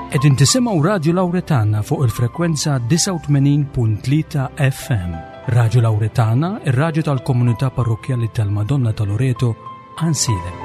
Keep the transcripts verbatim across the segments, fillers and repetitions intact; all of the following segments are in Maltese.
Qegħdin tisimgħu Radio Lauretana fuq il-frekwenza disgħa u tmenin punt tlieta F M. Radio Lauretana, ir-raġu tal-komunità parrokjali tal-Madonna ta' Loreto, Għajnsielem.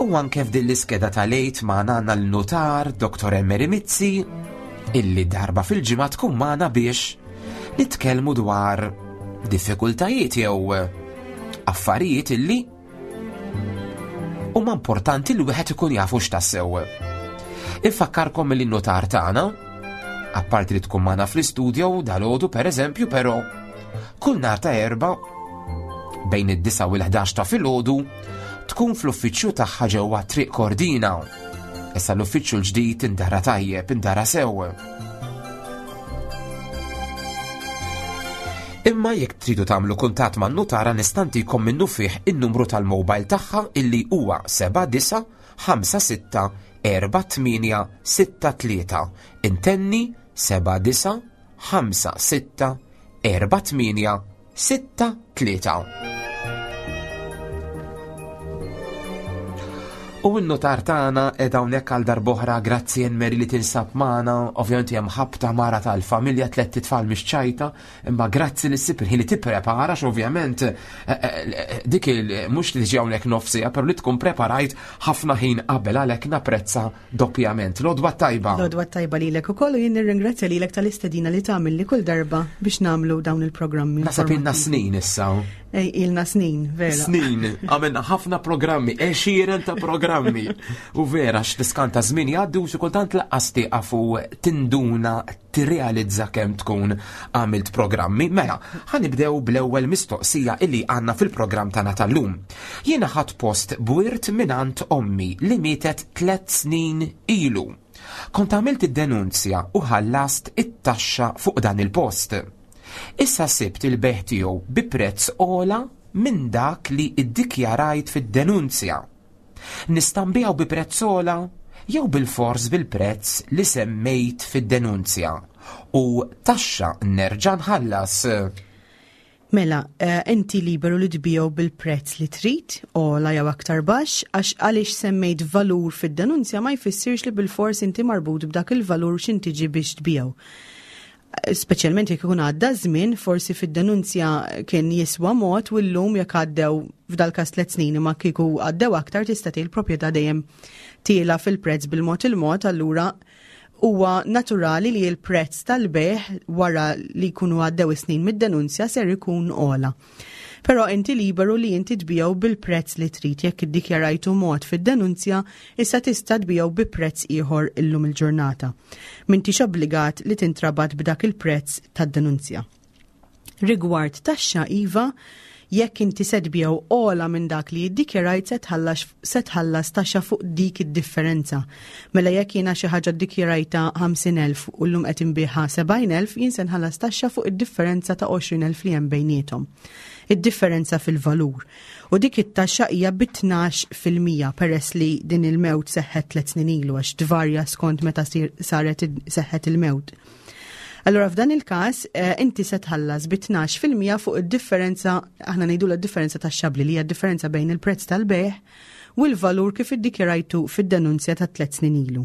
U anke f'din l-iskeda tal-Għid magħna għandna l-notar Doktor Emery Mizzi, illi darba fil-ġimgħa tkun magħna biex nitkellmu dwar diffikultajiet jew affarijiet illi huma importanti li wieħed ikun jafu x'tassew. Infakkarkom li n-notar tagħna, apparti li tkun magħna fl-istudio dalgħodu pereżempju, però kull nhar ta' Erbgħa bejn id-disgħa u l-ħdax ta' filgħodu tkun fl-uffiċċju tagħha ġewwa Triq Kordina. Issa l-uffiċċju l-ġdid indara tajjeb, indara sew. Imma jekk tridu tagħmlu kuntatt man nutara, nista' ntikom minnufih in-numru tal-mobile tagħha, illi huwa seba' disgħa ħamsa sitta erba' tmienja sitta tlieta. Intenni, seba' disgħa ħamsa sitta erba' tmienja sitta tlieta. U n-notar tagħna qiegħda hawnhekk għal darb'oħra. Grazzi, Mary, li tinsab magħna. Ovvjament hemm ħabta mara tal-familja, tlett itfal, mhix ċajta, imma grazzi li ssib il-ħin li tipprepara, ovvjament eh, eh, dik il mhux li tiġi hawnhekk nofsija, però li tkun preparajt ħafna ħin qabel, għalhekk napprezza doppjament. L-għodwa tajba. L-għodwa tajba lilek ukoll u jien nirringrazzja lilek tal-istedina li tagħmel li kull darba biex nagħmlu dawn il-programmi. Naħseb ilna snin issa. Ej, ilna snin, vera. Snin, għamilna ħafna programmi, għexieren ta' programmi. U vera, x'tiskanta, żmien jgħaddi u xi kultant lanqas tieqaf u tinduna, tirrealizza kemm tkun għamilt programmi. Mela, ħa nibdew bl-ewwel mistoqsija illi għandna fil-programm tagħna tal-lum. Jiena ħadt post b'wirt mingħand ommi li mietet tliet snin ilu. Kont għamilt id-denunzja u ħallast it-taxxa fuq dan il-post. Issa sibt il-bejgħ tiegħu bi prezz ogħla minn dak li iddikjarajt fid-denunzja. Nista' nbigħu bi prezz ogħla jew bil-fors bil-prezz li semmejt fid-denunzja u taxxa nerġa' nħallas? Mela, eh, inti liberu li tbigħu bil-prezz li trid, ogħla jew aktar baxx, għax għaliex semmejt valur fid-denunzja ma jfissirx li bil-fors inti marbut b'dak il-valur x'ħin tiġi biex tbigħu. Speċjalment jekk ikun għadda żmien, forsi fid-denunzja kien jiswa mod u llum jekk għaddew, f'dal każ tliet snin, ma kieku għaddew aktar, tista' tgħid il-proprjetà dejjem tiela fil-prezz bil-mod il-mod, allura huwa naturali li l-prezz tal-bejgħ wara li jkunu għaddew is-snin mid-denunzja ser ikun ogħla. Però inti liberu li inti tbigħu bil-prezz li trid. Jekk iddikjarajtu mod fid-denunzja, issa tista' tbigħu bi prezz ieħor illum il-ġurnata. M'intix obbligat li tintrabat b'dak il-prezz tad-denunzja. Rigward taxxa, iva, jekk inti se tbigħu ogħla minn dak li jiddikjarajt, se tħallas se tħallas taxxa fuq dik id-differenza. Mela jekk jiena xi ħaġa ddikjarajta ħamsin elf u llum qed inbigħha sebgħin elf, jien se nħallas taxxa fuq id-differenza ta' għoxrin elf li hemm bejniethom. Id-differenza fil-valur. U dik it-taxxa hija bi tnax fil-mija peress li din il-mewt seħħet tliet snin ilu, għax tvarja skont meta sir- saret seħħet il-mewt. Allora f'dan il-każ eh, inti se tħallas bi tnax fil-mija fuq id-differenza, aħna ngħidu d-differenza tax-xabli, li hija differenza bejn il-prezz tal-bejgħ u l-valur kif iddikjarajtu fid-denunzja ta' tliet snin ilu.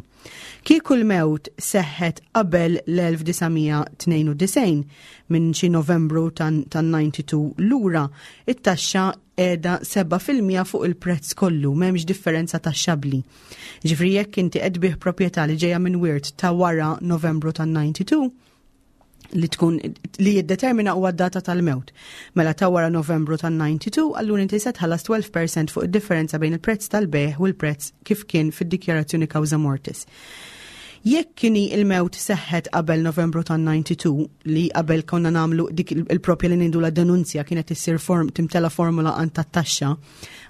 Kieku l-mewt seħħet qabel l-elf disa' mija tnejn u disgħin, minn xi Novembru tan-disgħa u disgħin lura, it-taxxa qiegħda seba' fil-mija fuq il-prezz kollu, m'hemmx differenza taxxabli. Ġifieri jekk inti qed tbigħ proprjetà li ġejja minn wirt ta' wara Novembru tan-disgħa u disgħin, Li tkun li jiddetermina huwa d-data tal-mewt. Mela ta' wara Novembru tan-disgħa u disgħin, allura inti se tħallas tnax fil-mija fuq id-differenza bejn il-prezz tal-bejgħ u l-prezz kif kien fid-dikjarazzjoni causa mortis. Jekk kien il-mewt seħħet qabel Novembru tan-disgħa u disgħin, li qabel konna nagħmlu dik il-propja li ngħidu la denunzja, kienet issir form timtela formula għand tat-taxxa,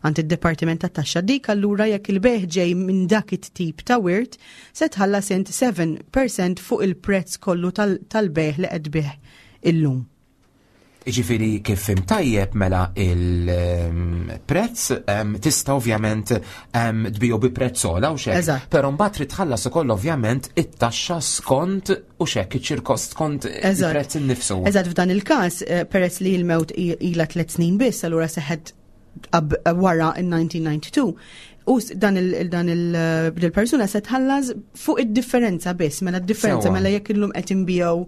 għand id-Dipartiment tat-Taxxa, dik allura jekk il-bejgħ ġej minn dak it-tip ta' wirt, se tħallas int seba' fil-mija fuq il-prezz kollu tal-bejgħ li qed tbigħ illum. Ġifieri kif fhimt tajjeb, mela il-prezz tista' ovvjament tbigħu bi prezz ogħla u xek. Però mbagħad trid tħallas ukoll ovvjament it-taxxa skont u xek iċ-ċirkost skont il-prezz innifsu. Eżatt, f'dan il-każ, eh, peress li l-mewt ilha tliet snin biss, allura seħħet wara in-elf disa' mija u disgħa u disgħin, u dan il-persuna se tħallas fuq id-differenza biss, mela d-differenza, mela jekk illum qed inbigħu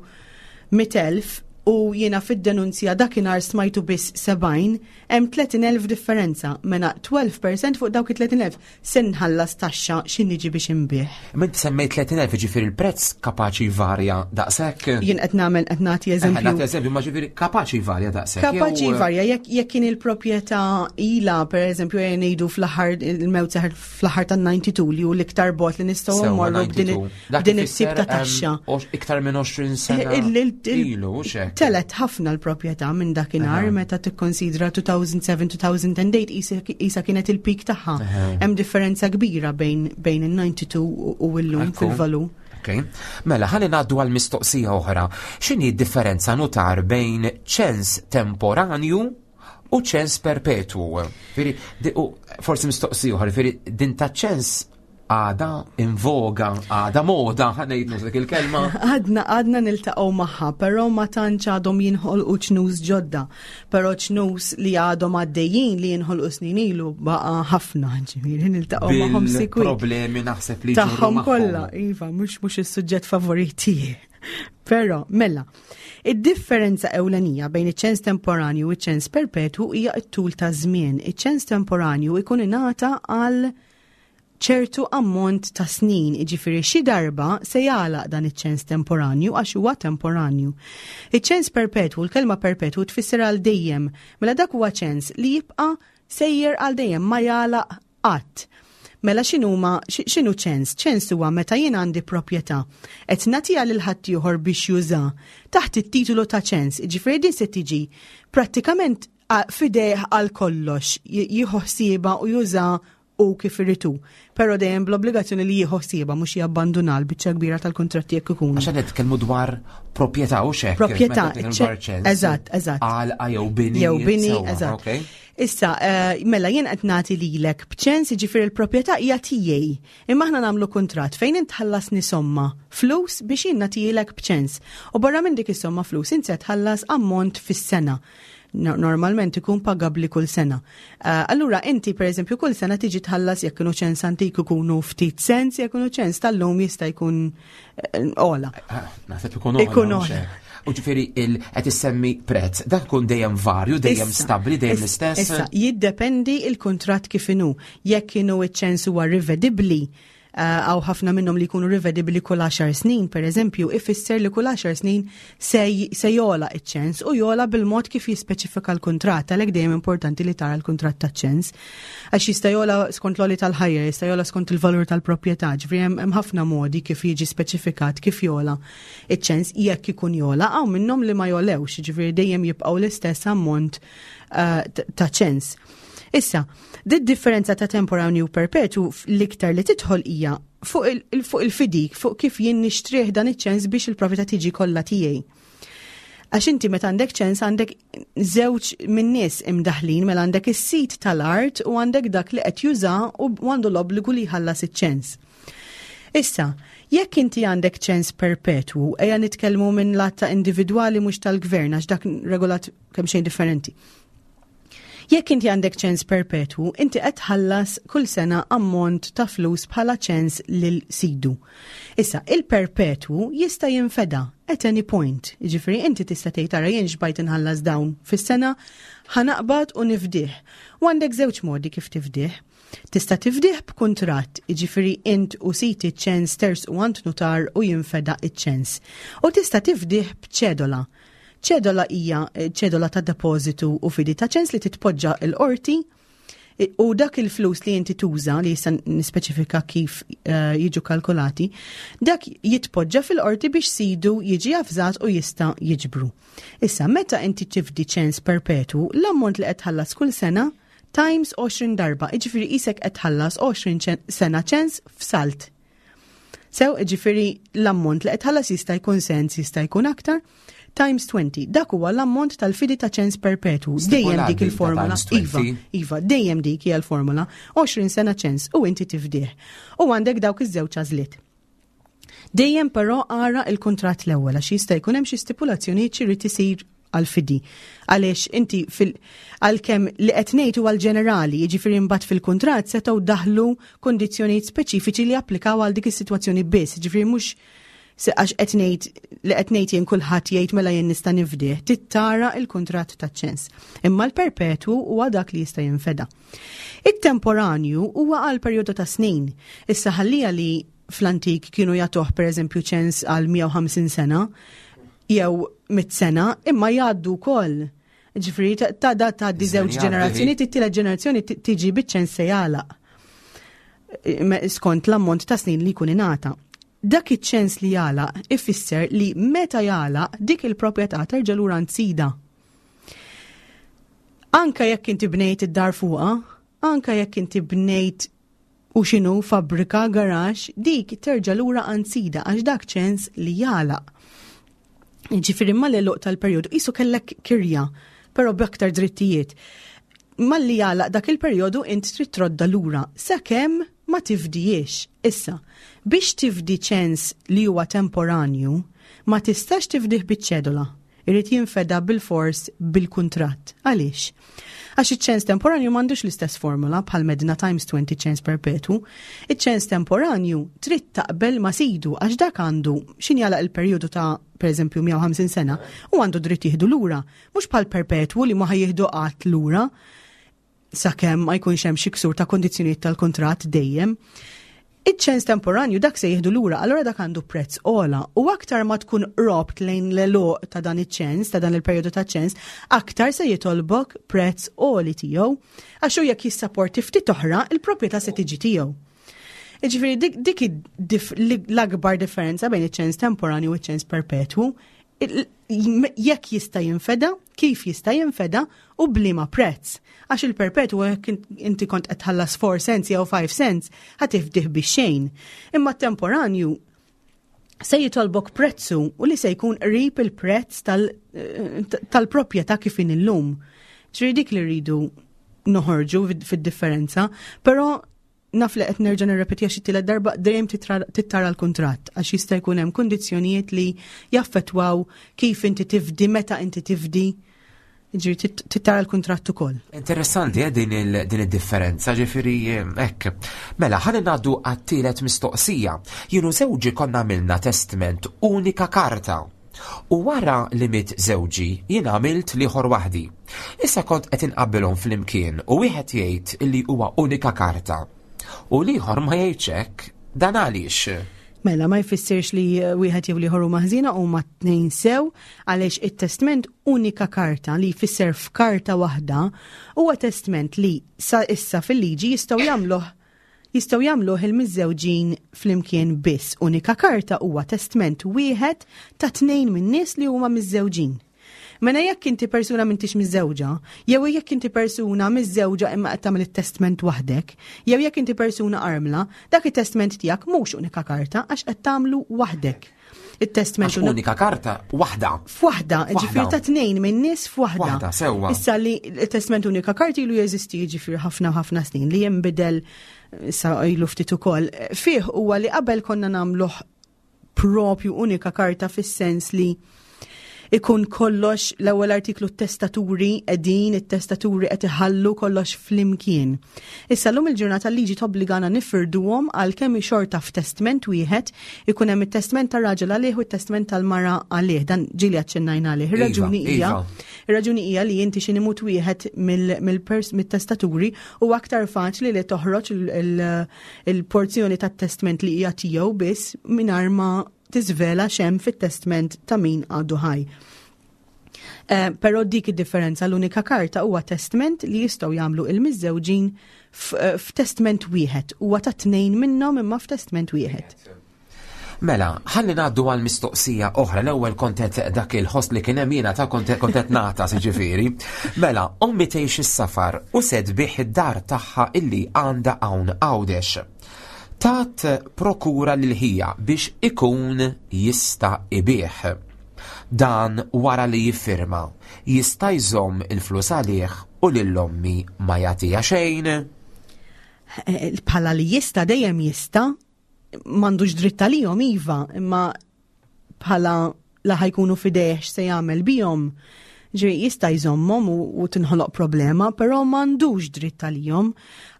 mitt elf u jiena fid-denunzja dakinhar smajtu biss sebgħin, hemm tletin elf differenza, mela tnax fil-mija fuq dawk it-tletin elf se nħallas taxxa x'ħin niġi biex inbigħ. Mint semmejt tletin elf, ġifieri il-prezz kapaċi varja daqshekk? Jien qed nagħmel, qed nagħti eżempju. Nagħti eżempju, ma ġifieri kapaċi varja daqshekk. Kapaċi varja jekk jekk kien il-proprjetà ilha, pereżempju, jien ngħidu fl-aħħar, il-mewt seħħet fl-aħħar tan-disgħa u disgħin, li hu l-iktar bogħod li nistgħu mmorru b'din it-tip ta' taxxa. Iktar minn għoxrin sena ilu, xek. Telgħet ħafna l-proprjetà minn dakinhar meta tikkonsidra elfejn u sebgħa-elfejn u tmienja isa kienet il-peak tagħha. Hemm differenza kbira bejn bejn in-disgħa u disgħin u llum fil-valur. Okay. Mela, ħalli ngħaddu għal mistoqsija oħra. X'inhi d-differenza, nutar, bejn ċens temporanju u ċens perpetwu? Ġifieri, forsi mistoqsija oħra, ġifieri din ta' ċens għada in voga, għada moda, ħa ngħidlu dik il-kelma. Għadna għadna niltaqgħu magħha, però ma tantx għadhom jinħolqu ċnus ġodda. Però ċnus li għadhom għaddejjin li jinħolqu snin ilu baqa' ħafna, ġifieri niltaqgħu magħhom sikwit. Problemi naħseb li tagħhom kollha, iva, mhux mhux is-suġġett favorit tiegħi. Però, mela, id-differenza ewlenija bejn iċ-ċens temporanju u iċ-ċens perpetwu hija t-tul ta' żmien. Iċ-ċens temporanju ikun ingħata għal ċertu ammont ta' snin, iġifieri xi darba se jagħlaq dan iċ-ċens temporanju għax huwa temporanju. Iċ-ċens perpetwu, l-kelma perpetwu tfisser għal dejjem, mela dak huwa ċens li jibqa' sejjer għal dejjem, ma jagħlaq qatt. Mela x'inhuma x'inhu ċens? Ċens huwa meta jien għandi proprjetà qed nagħtiha lil ħaddieħor biex juża taħt it-titolu ta' ċens, jiġifieri din se tiġi prattikament f'idejh għal kollox, jieħu ħsiebha u juża u kif irid hu. Però dejjem bl-obbligazzjoni li jieħu ħsiebha, mhux jabbanduna, l-biċċa kbira tal-kontratti jekk ikunu. Għax nitkellmu dwar proprjetà u xek. Proprjetà, eżatt, eżatt. Għalqa jew bini. Jew bini, eżatt. Issa, eh, mela jien qed nagħti lilek b'ċens, jiġifieri l-proprjetà hija tiegħi. Imma aħna nagħmlu kuntratt fejn int tħallasni somma flus biex jien nagħtilek b'ċens. U barra minn dik is-somma flus int se tħallas ammont fis-sena, normalment ikun pagabli kull sena. Uh, allura inti, per eżempju, kull sena tiġi tħallas, jekk kienu ċens antik ikunu ftit sens, jekk kienu ċens tal-lum jista' jkun uh, ogħla. Ah, naħseb ikun ogħla. U ġifieri qed issemmi prezz, dak ikun dejjem varju, dejjem stabli, dejjem l-istess. Issa, jiddependi il-kuntratt kif inhu. Jekk kienu iċ-ċens huwa rivedibbli, hawn ħafna minnhom li jkunu rivedibili kull għaxar snin, per eżempju, ifisser li kull għaxar snin se jogħla iċ-ċens u jogħla bil-mod kif jispeċifika l-kuntratt, għalhekk dejjem importanti li tara l-kuntratt ta' ċens. Għax jista' jogħla skont l-għoli tal-ħajja, jista' jogħla skont il-valur tal-proprjetà, ġifieri hemm ħafna modi kif jiġi speċifikat kif jogħla iċ-ċens jekk ikun jogħla, hawn minnhom li ma jogħlewx, ġifieri dejjem jibqgħu l-istess ammont eh, ta' ċens. Issa, di differenza ta' temporanju u perpetu l-iktar li tidħol hija fuq il-fidik, fuq kif jien nixtrih dan iċ-ċens biex il-proprjetà tiġi kollha tiegħi. Għax inti meta għandek ċens għandek żewġ minn nies imdaħlin, mela għandek is-sit tal-art u għandek dak li qed juża u għandu l-obbligu li jħallas iċ-ċens. Issa, jekk inti għandek ċens perpetwu, ejja nitkellmu minn lat ta' individwali, mhux tal-gvern, għax dak regolat kemm xejn differenti. Jekk inti għandek ċens perpetwu, inti qed tħallas kull sena ammont ta' flus bħala ċens lil sidu. Issa, il-perpetwu jista' jinfeda at any point. Jiġifieri inti tista' tgħid, "Ara, jien xbajt inħallas dawn fis-sena, ħa naqbad u nifdih." U għandek żewġ modi kif tifdih. Tista' tifdih b'kuntratt, jiġifieri int u sid iċ-ċens tersqu għand nutar u jinfeda iċ-ċens. U tista' tifdih b'ċedola. Ċedola hija eh, ċedola ta' depożitu u fidi ta' ċens li titpoġġa l-qorti u dak il-flus li inti tuża, li jista' nispeċifika kif uh, jiġu kalkulati, dak jitpoġġa fil-qorti biex sidu jiġi avżat u jista' jiġbru. Issa, meta inti tifdi ċens perpetu, l-ammont li qed tħallas kull sena times għoxrin darba, jiġifieri qisek qed tħallas għoxrin sena ċens f'salt. Sew, jiġifieri l-ammont li qed tħallas jista' jkun sens, jista' jkun aktar, times twenty. Dak huwa l-ammont tal-fidi ta' ċens perpetu. Dejjem dik il-formula. Iva, iva, dejjem dik hija l-formula. għoxrin sena ċens u inti tifdih. U għandek dawk iż-żewġ għażliet. Dejjem però ara il-kuntratt l-ewwel, għax jista' jkun hemm xi stipulazzjonijiet xi jrid isir għal-fidi. Għaliex inti fil għalkemm li qed ngħid huwa l-ġenerali, jiġifieri mbagħad fil-kuntratt setgħu daħlu kondizzjonijiet speċifiċi li applikaw għal dik is-sitwazzjoni biss, jiġifieri mhux għax qed ngħid li qed ngħid jien kulħadd jgħid mela jien nista' nifdih, tittara il-kuntratt taċ-ċens. Imma l-perpetwu huwa dak li jista' jinfeda. It-temporanju huwa għal perjodu ta' snin. Issa ħallija li fl-antik kienu jagħtuh, pereżempju, ċens għal mija u ħamsin sena jew mitt sena, imma jgħaddu wkoll. Ġifieri ta' da ta' di żewġ ġenerazzjoni, it-tielet ġenerazzjoni tiġi biċ-ċens se jagħlaq skont l-ammont ta' snin li jkun ingħata. Dak iċ-ċens li jagħlaq ifisser li meta jagħlaq, dik il-proprjetà terġa' lura sidha. Anka jekk inti bnejt id-dar fuqha, anka jekk inti bnejt u xinu fabbrika, garaxx, dik terġa' lura għand sidha għax dak ċens li jagħlaq. Ġifieri mal-għeluq tal-perjodu qisu kellek kirja, però b'aktar drittijiet. Malli jagħlaq dak il-perjodu, int trid trodda lura sakemm ma tifdijiex. Issa, biex tifdi ċens li huwa temporanju, ma tistax tifdih biċ-ċedola. Irid jinfeda bil-fors bil-kuntratt. Għaliex? Għax iċ-ċens temporanju m'għandux l-istess formula bħal medna times twenty ċens perpetu. Iċ-ċens temporanju trid taqbel ma' sidu, għax dak għandu x'ħin jagħlaq il-perjodu ta' pereżempju mija u ħamsin sena u għandu dritt jieħdu lura. Mhux bħal perpetwu li ma ħa jieħdu qatt lura sakemm ma jkunx hemm xi ksur ta' kondizzjonijiet tal-kuntratt dejjem. Iċ-ċens temporanju dak se jieħdu lura, allura dak għandu prezz ogħla u aktar ma tkun qrobt lejn l-għeluq ta' dan iċ-ċens, ta' dan il-perjodu ta' ċens, aktar se jitolbok prezz ogħla tiegħu. Għax hu jekk jissaporti ftit oħra, il-proprjetà se tiġi tiegħu. Ġifieri dik, dik l-akbar differenza bejn iċ-ċens temporanju u iċ-ċens perpetwu, jekk jista' jinfeda, kif jista' jinfeda u b'liema prezz. Għax il-perpetwu, jekk inti kont qed tħallas four cents jew five cents, ħa tifdih b'xejn. Imma temporanju se jitolbok prezzu u li se jkun qrib il-prezz tal-proprjetà kif inhi llum. Ġifieri dik li rridu noħorġu fid-differenza, però naf li qed nerġa' nirrepeti għax it-tielet darba, dejjem tittara l-kuntratt għax jista' jkun hemm kundizzjonijiet li jaffettwaw kif inti tifdi, meta inti tifdi. Ġifieri tittara l-kuntratt ukoll. Interessanti eh, din id-differenza, ġifieri hekk. Mela, ħalli ngħaddu għat-tielet mistoqsija. Jien u żewġi konna għamilna testament unika karta. U wara li miet żewġi, jien għamilt l-ieħor waħdi. Issa kont qed inqabbilhom flimkien u wieħed jgħid li huwa unika karta u l-ieħor ma jgħidx hekk. Dan għaliex? Mela, ma jfissirx li wieħed jew l-ieħor huma ħżiena, huma tnejn sew, għaliex it-testament unika karta, li jfisser f'karta waħda, huwa testament li sa issa fil-liġi jistgħu jagħmluh jistgħu jagħmluh il-miżżewġin flimkien biss. Unika karta huwa testament wieħed ta' tnejn minn nies li huma miżżewġin. Mela jekk inti persuna m'intix miżżewġa, jew jekk inti persuna miżżewġa imma qed tagħmel it-testament waħdek, jew jekk inti persuna armla, dak it-testament tiegħek mhux unika karta għax qed tagħmlu waħdek. Il-testament unika karta waħda. F'waħda, ġifieri ta' tnejn minn nies f'waħda. Waħda, sewwa. Issa li il-testament unika karta ilu jeżisti, ġifieri ħafna ħafna snin, li jinbidel issa ilu ftit ukoll. Fih huwa li qabel konna nagħmluh propju unika karta fis-sens li Ikun kollox l-ewwel artiklu, testaturi qegħdin, it-testaturi qed iħallu kollox flimkien. Issa llum il-ġurnata liġi tobbligana nifirduhom, għalkemm xorta f'testment wieħed ikun hemm it-testment tar-raġel għalih u t-testment tal-mara għalih. Dan ġieli aċċennajna għalih. Ir-raġuni Iva, hija iva. Ir-raġuni hija li inti xi imut wieħed mill-testaturi, u aktar faċli li toħroġ il-porzjoni tat-testment li hija tiegħu biss mingħajr ma tiżvela x'hemm fit-testment ta' min għadu ħaj. Eh, Però dik id-differenza, l-unika karta huwa testment li jistgħu jagħmlu il-miżżewġin eh, f'testment wieħed. Huwa ta' tnejn minnhom imma f'testment wieħed. Mela, ħalli ngħaddu għal mistoqsija oħra. L-ewwel kontet dak il-ħoss li kien hemm jiena ta' kontet kontet nata, siġifieri. Mela, ommi tgħix is-safar u se tbigħ id-dar tagħha illi għandha hawn Għawdex. Tat prokura lil ħija biex ikun jista' ibigħ. Dan wara li jiffirma, jista' jżomm il-flus għalih u lil ommi ma jagħtiha xejn? Eh, Bħala li jista' dejjem jista', m'għandux dritt għalihom iva, imma bħala la ħa jkunu f'idejh se jagħmel bihom. Ġi jista' jżommhom u, u tinħoloq problema, però m'għandux dritt għalihom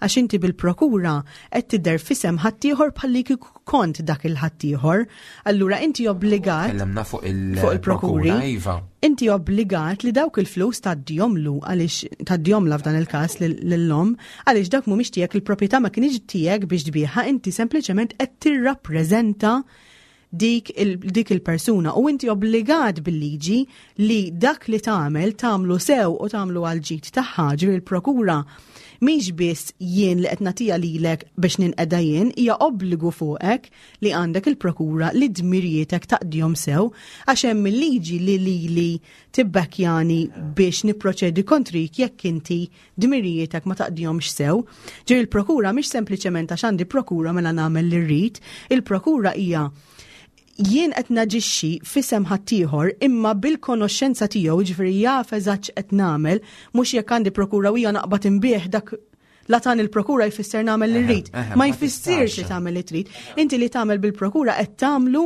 għax inti bil-prokura qed tidher f'isem ħaddieħor bħalli kieku kont dak il-ħaddieħor. Allura inti obbligat Kellemna fuq fuq il-prokuri. Il-prokura, iva. Inti obbligat li dawk il-flus tgħaddihomlu, għaliex tgħaddihomla f'dan il-każ lill-omm, għaliex dak mhumiex tiegħek, il-proprjetà ma kienx tiegħek biex tbigħha, inti sempliċement qed tirrappreżenta dik il, dik il-persuna u inti obbligat bil-liġi li dak li tagħmel tagħmlu sew u tagħmlu għal ġid tagħha. Ġifieri il-prokura mhix biss jien li qed nagħtiha lilek biex ninqeda jien, hija obbligu fuqek li għandek il-prokura li dmirijietek taqdihom sew, għax hemm il-liġi li lili tibbekkjani biex nipproċedi kontrik jekk inti dmirijietek ma taqdihomx sew. Ġifieri il-prokura mhix sempliċement għax għandi prokura mela nagħmel li rrid, il-prokura hija jien qed naġixxi f'isem ħaddieħor imma bil-konoxxenza tiegħu, ġifieri jaf eżatt x'qed nagħmel, mhux jekk għandi prokura u hija naqbad inbigħ, dak la tan il-prokura jfisser nagħmel li rrid. Eħe, Ma ma jfissirx li tistax. tagħmel li trid. Inti li tagħmel bil-prokura qed tagħmlu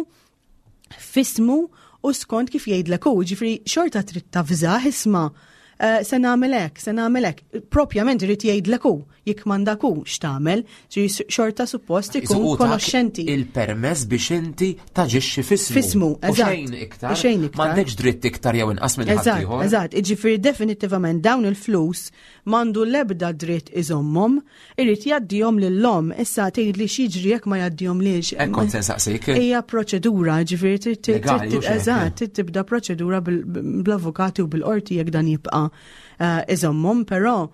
f'ismu u skont kif jgħidlek hu, ġifieri xorta trid tavżah, "Isma', eh, se nagħmel hekk, se nagħmel hekk." Propjament irid jgħidlek hu, jekk m'għandak hu x'tagħmel, ġifieri xorta suppost ikun Isu tak konoxxenti. il-permess biex inti taġixxi f'ismu. F'ismu, U eżatt. xejn iktar. U xejn iktar. M'għandekx dritt iktar jew inqas minn Eżatt, ħaddieħor. eżatt. Iġifieri definitivament dawn il-flus m'għandu l-ebda dritt iżommhom, irid jgħaddihom lill-omm. Issa tgħid li x'jiġri jekk ma jgħaddihomlix? Hekk kont se nsaqsik. Hija proċedura, ġifieri trid- trid- Legali, trid- u x'hekk. eżatt, trid tibda proċedura bil- bl-avukati u bil-qorti jekk dan jibqa' eh, iżommhom, però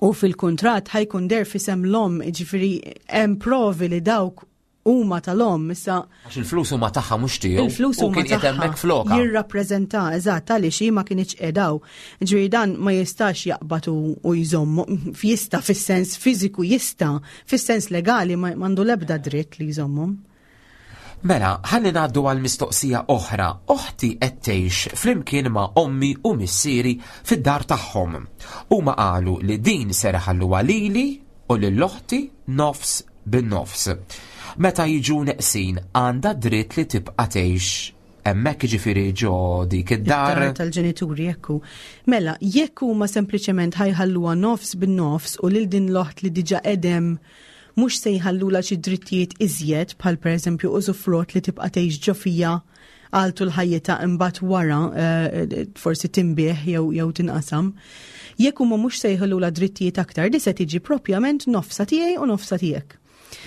u fil-kontrat ħa jkun deher f'isem l-omm, ġifieri hemm provi li dawk huma tal-omm, issa Għax il-flus huma tagħha mhux tiegħu. Il-flus U huma kien qiegħed tagħha. hemmhekk floka. Jirrappreżenta, eżatt, għaliex hi ma kienx qedaw. Ġifieri dan ma jistax jaqbad u u jżommu, jista' fis-sens fiżiku jista', fis-sens legali ma m'għandu l-ebda dritt li jżommhom. Mela, ħalli ngħaddu għal mistoqsija oħra. Oħti qed tgħix flimkien ma' ommi u missieri fid-dar tagħhom. Huma qalu li din ser iħalluha lili u lil oħti nofs bin-nofs. Meta jiġu neqsin, għandha dritt li tibqa' tgħix hemmhekk, jiġifieri ġo dik id-dar? Id-dar tal-ġenituri, jekku. Mela, jekk huma sempliċement ħa jħalluha nofs bin-nofs u lil din l-oħt li diġà qegħda mhux se jħallula xi drittijiet iżjed, bħal pereżempju użufrott li tibqa' tgħix ġo fiha għal tul ħajjitha, imbagħad wara eh, forsi tinbiegħ jew jew tinqasam. Jekk huma mhux se jħallula drittijiet aktar, di se tiġi propjament nofsa tiegħi u nofsa tiegħek.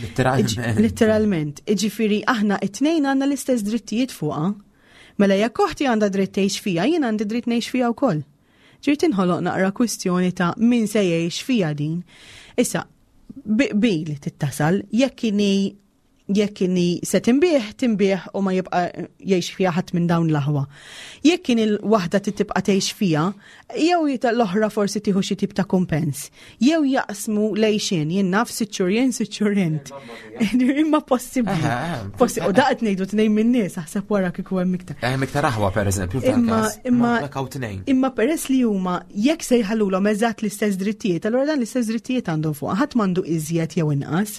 Letteralment. Literalment. Iġifieri aħna it-tnejn għandna l-istess drittijiet fuqha. Mela jekk oħti għandha dritt tgħix fija, jien għandi dritt ngħix fija wkoll. Ġifieri tinħoloq naqra kwistjoni ta' min se jgħix fija din. Issa, bil tittasal, jekk inhi jekk inhi se tinbiegħ, tinbiegħ u ma jibqa' jgħix fija ħadd minn dawn l-aħwa. Jekk kien il-waħda tibqa' tgħix fija, jew jita l-oħra forsi tieħu xi tip ta' kumpens, jew jaqsmu lejxin, jien naf, sitt xhur jien, sitt xhur int. Imma possibbli. Eħe, Possi, u daqt ngħidu tnejn minn nies, aħseb wara kieku hemm iktar. Hemm iktar aħwa, pereżempju, f'dan Imma, każ. imma, Ma dak hawn tnejn. imma peress li huma jekk se jħallulhom eżatt l-istess drittijiet, allura dan l-istess drittijiet għandhom fuq, ħadd m'għandu iżjed jew inqas.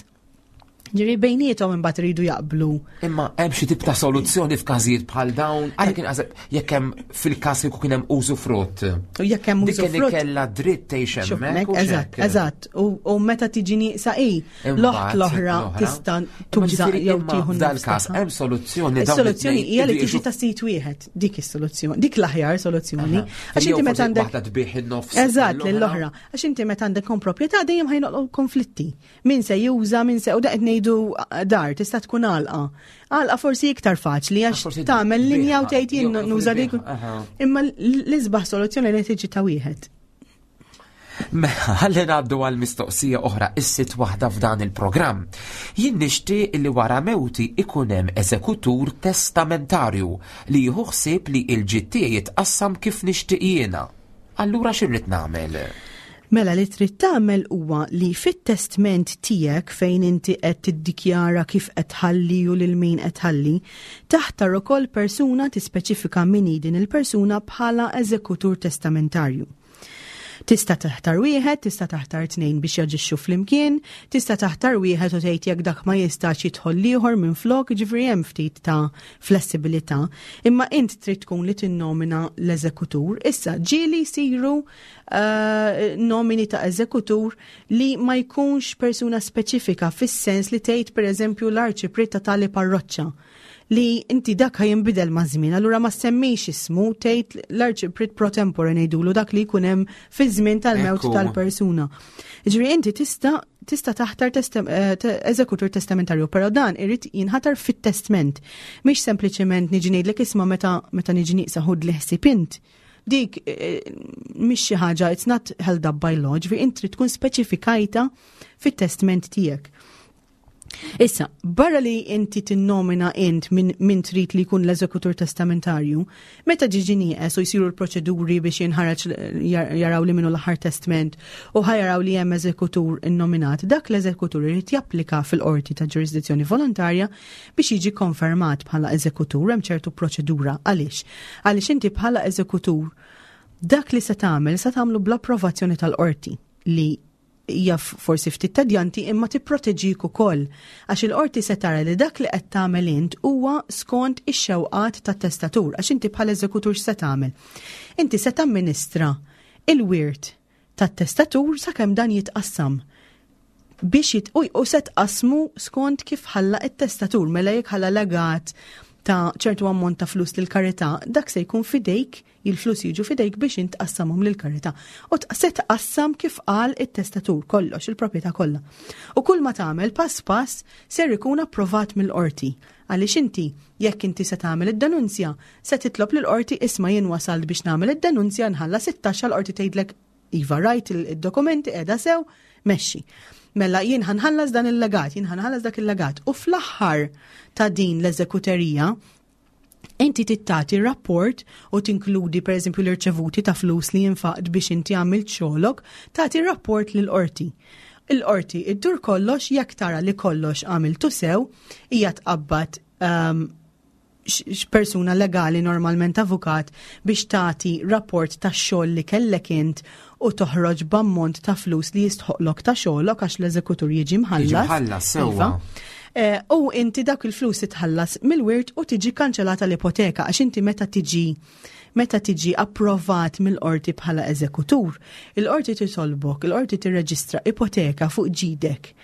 Ġifieri bejniethom imbagħad iridu jaqblu. Imma hemm xi tip ta' soluzzjoni f'każijiet bħal dawn, għalhekk kien qaseb jekk hemm fil-każ kieku kien hemm użufrutt. U jekk hemm Dik użufrutt. Kellha dritt tgħix Xuf, hemmhekk. U Eżatt, x'hekk. eżatt. U u meta tiġi nieqsa i, l-oħt l-oħra tista' Imma tuża ġifieri jew imma tieħu f'dal-każ nofs hemm soluzzjoni dawn Is-soluzzjoni it-tnejn hija li iridu tiġi ta' sit wieħed, dik is-soluzzjoni, dik l-aħjar soluzzjoni. Għax Jew inti meta forsi għandek waħda tbigħ in-nofs Eżatt, lill-oħra. lill-oħra. Għax inti meta għandek komproprjetà dejjem ħa jinqalgħu konflitti. Min se juża, min se u da qed ngħidu dar, tista' tkun għalqa. Għalqa forsi iktar faċli għax Forsi tagħmel linja u tbigħha, tgħid jien jew nuża forsi dik. tbigħha, aha. Imma l-isbaħ soluzzjoni li tiġi ta' wieħed. Mela, ħalli ngħaddu għal mistoqsija oħra, is-sitt waħda f'dan il-programm. Jien nixtieq li wara mewti ikun hemm eżekutur testamentarju li jieħu ħsieb li l-ġid tiegħi jitqassam kif nixtieq jiena. Allura x'irrid nagħmel? Mela, li trid tagħmel huwa li fit-testment tiegħek, fejn inti qed tiddikjara kif qed tħalli u lil min qed tħalli, taħtar ukoll persuna, tispeċifika min hi din il-persuna bħala eżekutur testamentarju. Tista' taħtar wieħed, tista' taħtar tnejn biex jaġixxu flimkien, tista' taħtar wieħed u tgħid jekk dak ma jistax jidħol ieħor minn flok, ġifieri hemm ftit ta' flessibilità. Imma int trid tkun li tinnomina l-eżekutur. Issa ġieli jsiru uh, nomini ta' eżekutur li ma jkunx persuna speċifika, fis-sens li tgħid, pereżempju, l-arċipriet ta' tali parroċċa, li inti dak jinbidel ma' żmien, allura ma semmix ismu, tgħid l-arċipriet pro tempore ngħidulu, dak li jkun hemm fi żmien tal-mewt Ekku. tal-persuna. Ġifieri inti tista' tista' taħtar testem- eh, te- eżekutur testamentarju, però dan irid jinħatar fit-testment. Mhix sempliċement niġi ngħidlek, "Isma', meta meta niġi nieqsa ħud li ħsieb int." Dik eh, mhix xi ħaġa, it's not held up by law, ġifieri inti trid tkun speċifikajta fit-testment tiegħek. Issa, barra li inti tinnomina int min, min trid li jkun l-eżekutur testamentarju, meta ġiġi nieqes u jsiru l-proċeduri biex jinħareġ jar- jaraw li minnu l-aħħar testament u ħa jaraw li hemm eżekutur innominat, dak l-eżekutur irid japplika fil-qorti ta' ġurisdizzjoni volontarja biex jiġi konfermat bħala eżekutur. Hemm ċertu proċedura. Għaliex? Għaliex inti bħala eżekutur dak li se tagħmel se tagħmlu bl-approvazzjoni tal-qorti, li hija forsi ftit tedjanti imma tipproteġik ukoll, għax il-qorti se tara li dak li qed tagħmel int huwa skont ix-xewqat tat-testatur, għax inti bħala eżekutur x'se tagħmel? Inti se tamministra il-wirt tat-testatur sakemm dan jitqassam biex jit u, u se tqasmu skont kif ħalla it-testatur. Mela jekk ħalla legat ta' ċertu ammont ta' flus lil karità, dak se jkun fidejk, il-flus jiġu fidejk biex intqassamhom lil karità. U t- se tqassam kif qal it-testatur kollox, il-proprjetà kollha. U kull ma tagħmel pass pass ser ikun approvat mill-qorti. Għaliex inti, jekk inti se tagħmel id-denunzja, se titlob lill-qorti, "Isma', jien wasalt biex nagħmel id-denunzja, nħallas it-taxxa", l-qorti tgħidlek, "Iva, rajt il-dokumenti, qiegħda sew, mexxi. Mela jien ħa nħallas dan il-legat, jien ħa nħallas dak il-legat." U fl-aħħar ta' din l-eżekuterija, inti tagħti rapport u tinkludi, per eżempju, l-irċevuti ta' flus li jinfaqt biex inti għamilt xogħlok, tagħti rapport lill-qorti. Il-qorti iddur kollox, jekk tara li kollox għamiltu sew, hija tqabbad um, persuna legali, normalment avukat, biex tagħti rapport ta' xogħol li kellek int u toħroġ b'ammont ta' flus li jistħoqlok ta' xogħlok, għax l-eżekutur jiġi mħallas. Jiġi mħallas, sewwa. Iva. Eh, U inti dak il-flus titħallas mill-wirt u tiġi kanċellata l-ipoteka, għax inti meta tiġi meta tiġi approvat mill-qorti bħala eżekutur, il-qorti titolbok, il-qorti tirreġistra ipoteka fuq ġidek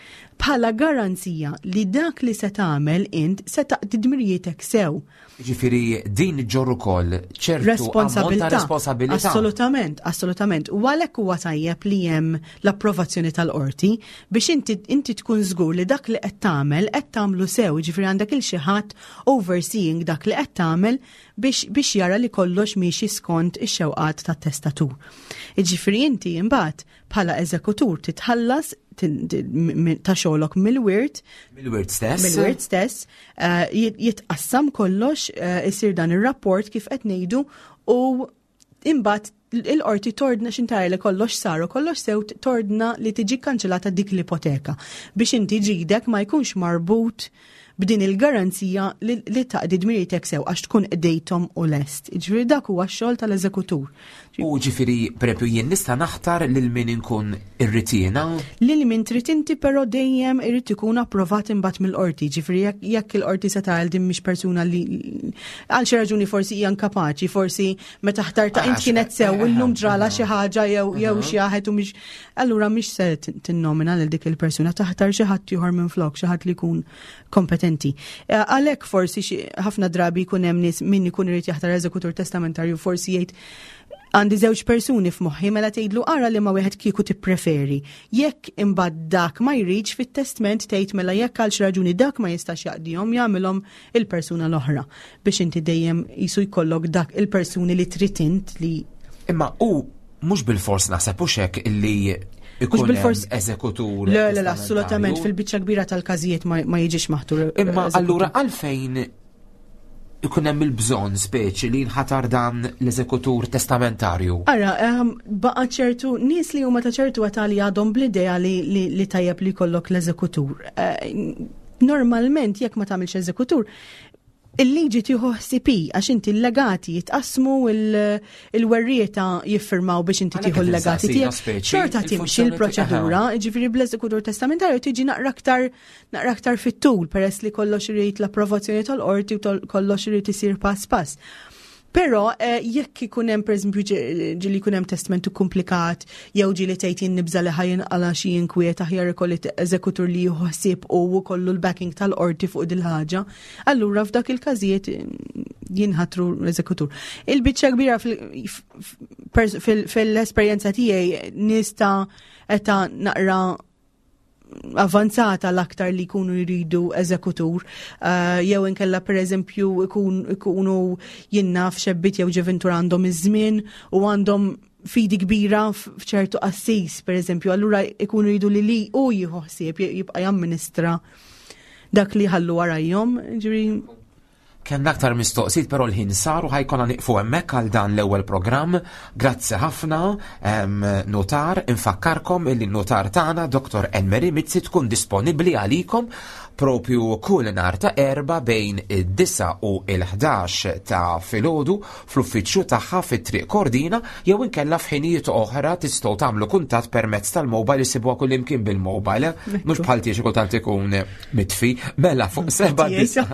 bħala garanzija li dak li se tagħmel int se taqdi dmirijietek sew. Ġifieri din iġġorr ukoll ċertu ammont ta' Responsabilità. responsabilità. Assolutament, assolutament. U għalhekk huwa tajjeb li hemm l-approvazzjoni tal-qorti biex inti, inti tkun żgur li dak li qed tagħmel qed tagħmlu sew, ġifieri għandek il xi ħadd overseeing dak li qed tagħmel biex, biex jara li kollox miexi skont ix-xewqat tat-testatur. Ġifieri inti imbagħad bħala eżekutur titħallas tin- tin- mi- ta' xogħlok mill-wirt. Mill-wirt stess. Mill-wirt stess, eh, jit- jitqassam kollox, eh, isir dan ir-rapport kif qed ngħidu u imbagħad il-qorti tordna x'intara li kollox saru, kollox sew, tordna li tiġi kanċellata dik l-ipoteka biex inti ġidek ma jkunx marbut b'din il-garanzija li, li taqdi dmiritek sew għax tkun qdejthom u lest. Ġifieri dak huwa x-xogħol tal-eżekutur. U ġifieri, per jien nista' naħtar lil min inkun irrid jiena? Lil min trid inti, però dejjem irid ikun approvat imbagħad mill-qorti. Ġifieri jekk jekk il-qorti se tgħid din mhix persuna li għal xi raġuni forsi hija inkapaċi, forsi meta ħtarta int Għax- kienet sew eh, illum eh, ġrala eh, xi ħaġa jew jew xi ħadd u mhix, allura mhix se tinnomina lil dik il-persuna, taħtar xi ħadd ieħor minn flok, xi ħadd li jkun kompetenti. Eh, Għalhekk forsi xi- ħafna drabi jkun hemm nies min ikun irid jaħtar eżekutur testamentarju forsi jgħid, "Għandi żewġ persuni f'moħħi," mela tgħidlu, "Ara li ma wieħed kieku tippreferi." Jekk imbagħad dak ma jridx, fit-testament tgħid, mela jekk għal xi raġuni dak ma jistax jaqdihom, jagħmilhom il-persuna l-oħra biex inti dejjem jisu jkollok dak il-persuni li trid int li Imma u mhux bil-fors naħseb u xek illi ikun bil-fors- hemm eżekutur Le, le, le, assolutament, testamentarju. fil-biċċa kbira tal-każijiet ma, ma jiġix maħtur Imma eżekutur. allura għalfejn ikun hemm il-bżonn speċi li nħatar dan l-eżekutur testamentarju? Ara, um, baqa ċertu, nies li huma ta' ċertu età li għadhom bl-idea li, li, li tajjeb li jkollok l-eżekutur. Uh, normalment, jekk ma tagħmilx eżekutur, il-liġi tieħu ħsieb għax inti l-legati jitqasmu, il-werrieta jiffirmaw biex inti Għalhekk tieħu qed l-legati insaqsina tiegħek. speċi, Xorta timxi il-funzjoni l-proċedura, ġifieri bl-eżekutur testamentarju tiġi naqra aktar naqra aktar fit-tul peress li kollox irid l-approvazzjoni tal-qorti u tol- kollox irid isir pass pass. Però eh, jekk ikun hemm, pereżempju, ġi- ġieli jkun hemm testamentu komplikat jew ġieli tgħid, "Jien nibża li ħa jinqala xi inkwiet, aħjar ikolli t- eżekutur li jieħu ħsieb u kollu l-backing tal-qorti fuq dil-ħaġa." Allura f'dak il-każijiet mm, jinħatru l-eżekutur. Il-biċċa kbira fil- f- pers- fil- fil-esperjenza tiegħi, nies ta' età naqra avanzata l-aktar li jkunu jridu eżekutur, uh, jew inkella per eżempju ikun- ikunu jinnaf xebbiet jew ġuvintur għandhom iż-żmien u għandhom fidi kbira f'ċertu qassis, per eżempju, allura ikunu jridu li li u jieħu ħsieb jibqa' jamministra dak li ħallu warajhom, ġifieri. Kemm aktar mistoqsijiet, però l-ħin sar u ħa jkollna nieqfu hemmhekk għal dan l-ewwel programm. Grazzi ħafna, em, notar, infakkarkom illi n-notar tagħna Doktor Enmeri Mizzi tkun disponibbli għalikom propju kull nhar ta' Erbgħa bejn id-disgħa u il-ħdax ta' filgħodu fl-uffiċċju tagħha fit-Triq Kordina, jew inkella f'ħinijiet oħra tistgħu tagħmlu kuntatt permezz tal-mobile, isibuha kull imkien bil-mobile, mhux bħal tiegħi kultant ikun mitfi, mela fuq seba' disa'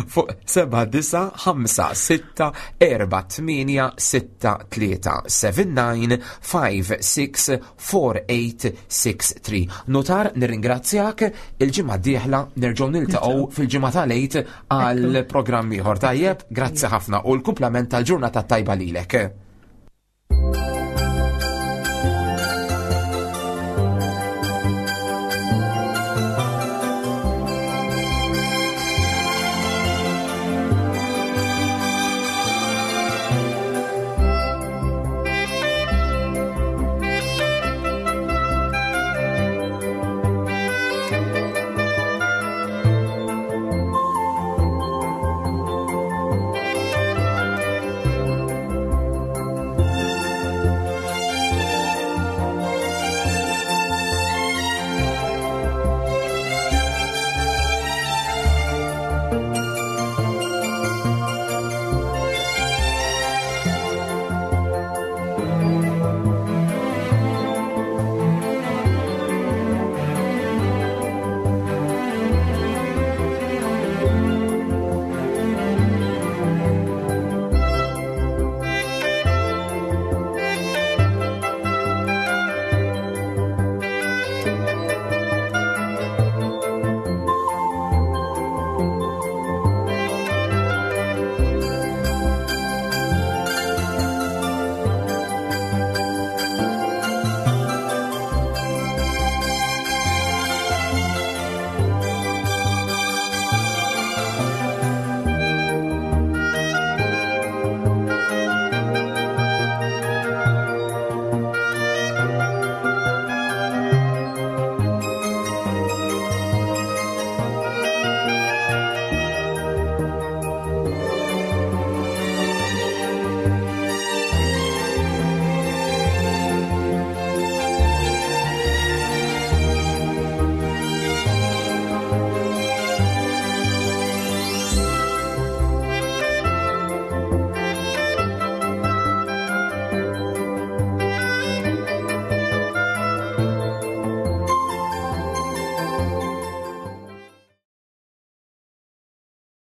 fuq seba' disa' ħamsa sitta erba' tmienja sitta tlieta, seven nine five six four eight six three. Notar, nirringrazzjak, il-ġimgħa d-dieħla nerġgħu niltaqgħu fil-ġimgħa tal-Għid għal programm ieħor, tajjeb, grazzi ħafna u l-kumplament tal-ġurnata tajba lilek.